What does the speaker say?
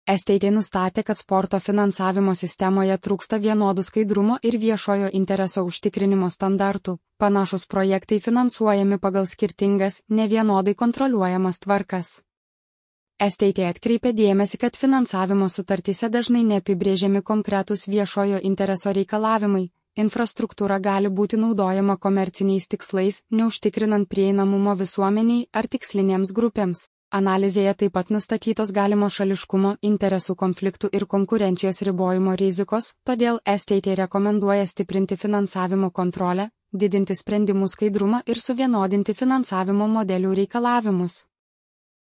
STT nustatė, kad sporto finansavimo sistemoje trūksta vienodų skaidrumo ir viešojo intereso užtikrinimo standartų. Panašus projektai finansuojami pagal skirtingas, nevienodai kontroliuojamas tvarkas. STT atkreipė dėmesį, kad finansavimo sutartyse dažnai neapibrėžiami konkretūs viešojo intereso reikalavimai. Infrastruktūra gali būti naudojama komerciniais tikslais, neužtikrinant prieinamumo visuomeniai ar tikslinėms grupėms. Analizėje taip pat nustatytos galimo šališkumo, interesų konfliktų ir konkurencijos ribojimo rizikos, todėl STT rekomenduoja stiprinti finansavimo kontrolę, didinti sprendimų skaidrumą ir suvienodinti finansavimo modelių reikalavimus.